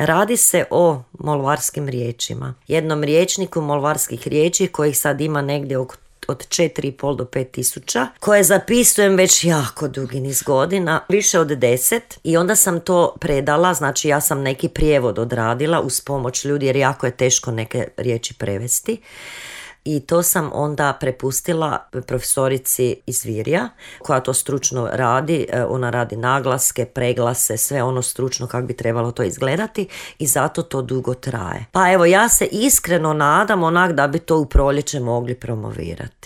Radi se o molvarskim riječima. Jednom rječniku molvarskih riječi kojih sad ima negdje od 4,5 do 5 tisuća, koje zapisujem već jako dugi niz godina, više od 10, i onda sam to predala, znači ja sam neki prijevod odradila uz pomoć ljudi jer jako je teško neke riječi prevesti. I to sam onda prepustila profesorici iz Virja koja to stručno radi. Ona radi naglaske, preglase, sve ono stručno kako bi trebalo to izgledati i zato to dugo traje. Pa evo, ja se iskreno nadam onak da bi to u proljeće mogli promovirati.